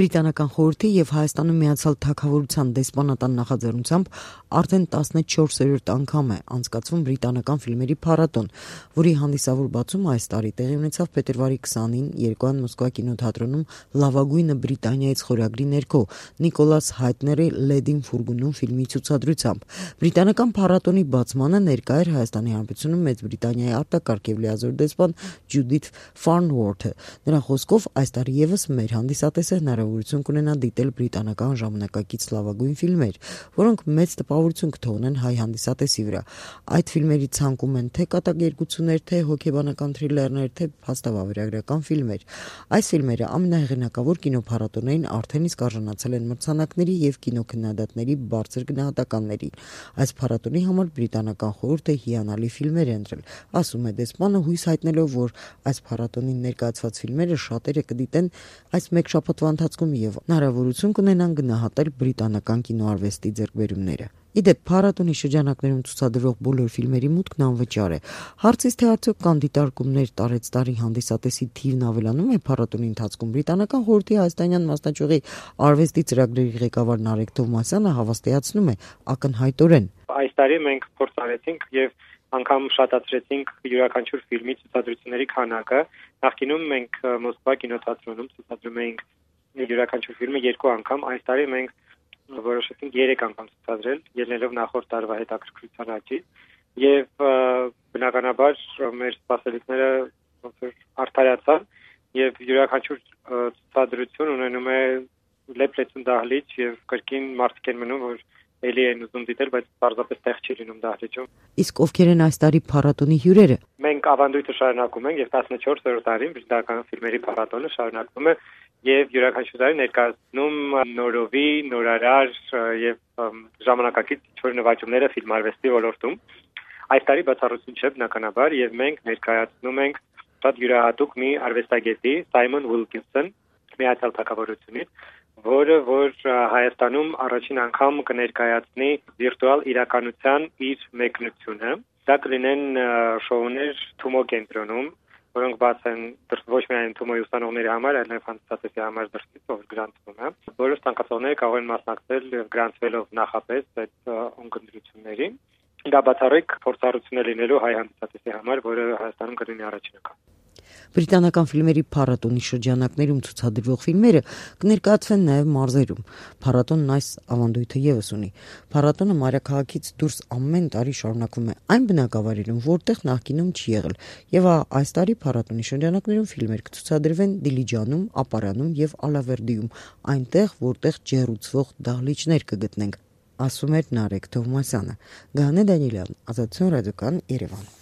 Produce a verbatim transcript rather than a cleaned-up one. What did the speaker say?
Բրիտանական խորհրդի եւ Հայաստանում Միացյալ Թագավորության դեսպանատան նախաձեռնությամբ արդեն տասնչորսերորդ անգամ է անցկացվում բրիտանական ֆիլմերի փառատոն, որի հանդիսավոր բացումը այս տարի տեղի ունեցավ փետրվարի քսանին երկուան Մոսկվա կինոթատրոնում լավագույնը Բրիտանիայից խորագրի ներքո Նիկոլաս Հայթների «Լեդին ֆուրգունում» ֆիլմի ցուցադրությամբ։ Բրիտանական փառատոնի բացմանը ներկա էր Հայաստանի Հանրապետությունում Մեծ Բրիտանիայի արտակարգ եւ լիազոր դեսպան Ջյուդիթ Ֆարնվորթը։ Նրա խոսքով այս տարի եւս մեր հանդիսատեսը հնարավորություն կունենա դիտել բրիտանական ժամանակակից լավագույն ֆիլմեր, որոնք մեծ տպավորություն կթողնեն հայ հանդիսատեսի վրա։ Այդ ֆիլմերի ցանկում են թե կատակերգություններ, թե հոգեբանական թրիլերներ, թե փաստավավերագրական ֆիլմեր։ Այս ֆիլմերը ամենահեղինակավոր կինոփառատոներին արդեն իսկ արժանացել են մրցանակների եւ կինոքննադատների բարձր գնահատականների։ Այս փառատոնի համար բրիտանական խորհուրդը հիանալի ֆիլմեր է ընտրել, ասում է դեսպանը, հույս հայտնելով, որ այս փառատոնին ներկայացված ֆիլմերը շատերը կդիտեն այս մեկ շաբաթվա ընթացքում եւ հնարավորություն կունենան գնահատել բրիտանական կինոարվեստի ձեռքբերումները։ Իդեպ փառատոնի շրջանակներում ցուցադրվող բոլոր ֆիլմերի մուտքն անվճար է։ Հարցից թե արդյոք կան դիտարկումներ տարեց տարի հանդիսատեսի թիվն ավելանում է փառատոնի ընթացքում, բրիտանական խորհրդի հայաստանյան մասնաճյուղի արվեստի ծրագրերի ղեկավար Նարեկ Թովմասյանը հավաստիացնում է ակնհայտորեն. Այս տարի մենք փորձ արեցինք եւ անգամ շատացրեցինք յուրաքանչյուր ֆիլմի ցուցադրությունների քանակը։ Նախկինում մենք Մոսկվա կինոթատրոնում ցուցադրում էինք յուրաքանչյուր ֆիլմը երկու անգամ, այս տարի մենք որոշեցինք երեք անգամ ցուցադրել, ելնելով նախորդ տարվա հետաքրքրության աճից, եւ բնականաբար մեր սպասելիքները ոնց որ արդարացան եւ յուրաքանչյուր ցուցադրություն ունենում է լեփլեցուն դահլիճ եւ կրկին մարդիկ են մնում, որ էլի են ուզում դիտել, բայց պարզապես տեղ չի լինում դահլիճում։ Իսկ ովքեր են այս տարի փառատոնի հյուրերը։ Մենք ավանդույթը շարունակում ենք եւ տասնչորսերորդ տարին բրիտանական ֆիլմերի փառատոնը շարունակվում է եւ յուրաքանչյուր տարի ներկայացնում նորովի, նորարար եւ ժամանակակից ինչ-որ նվաճումները ֆիլմարվեստի ոլորտում։ Այս տարի բացառություն չէ բնականաբար եւ մենք ներկայացնում ենք շատ յուրահատուկ մի արվեստագետի Սայմոն Ուիլքինսոն Միացյալ Թագավորությունից, որը որ Հայաստանում առաջին անգամ կներկայացնի վիրտուալ իրականության իր մեկնությունը։ Դա կլինեն շոուներ Թումո կենտրոնում, որոնք բաց են ոչ միայն Թումոյի ուսանողների համար, այլև հանդիսատեսի համար դրսից, ով գրանցվում է։ Բոլոր ցանկացողները կարող են մասնակցել եւ գրանցվելով նախապես այդ ունկնդրություններին։ Դա բացառիկ փորձառություն է լինելու հայ հանդիսատեսի համար, որը Հայաստանում կլինի առաջին անգամ։ Բրիտանական ֆիլմերի փառատոնի շրջանակներում ցուցադրվող ֆիլմերը կներկայացվեն նաև մարզերում։ Փառատոնն այս ավանդույթը եւս ունի։ Փառատոնը մայրաքաղաքից դուրս ամեն տարի շարունակվում է այն բնակավայրերում, որտեղ նախկինում չի եղել։ Եվ այս տարի փառատոնի շրջանակներում ֆիլմեր կցուցադրվեն Դիլիջանում, Ապարանում եւ Ալավերդիում, այնտեղ, որտեղ ջեռուցվող դահլիճներ կգտնենք, ասում էր Նարեկ Թովմասյանը։ Գաներ Դանիելյան, Ազատություն ռադիոկան, Երևան։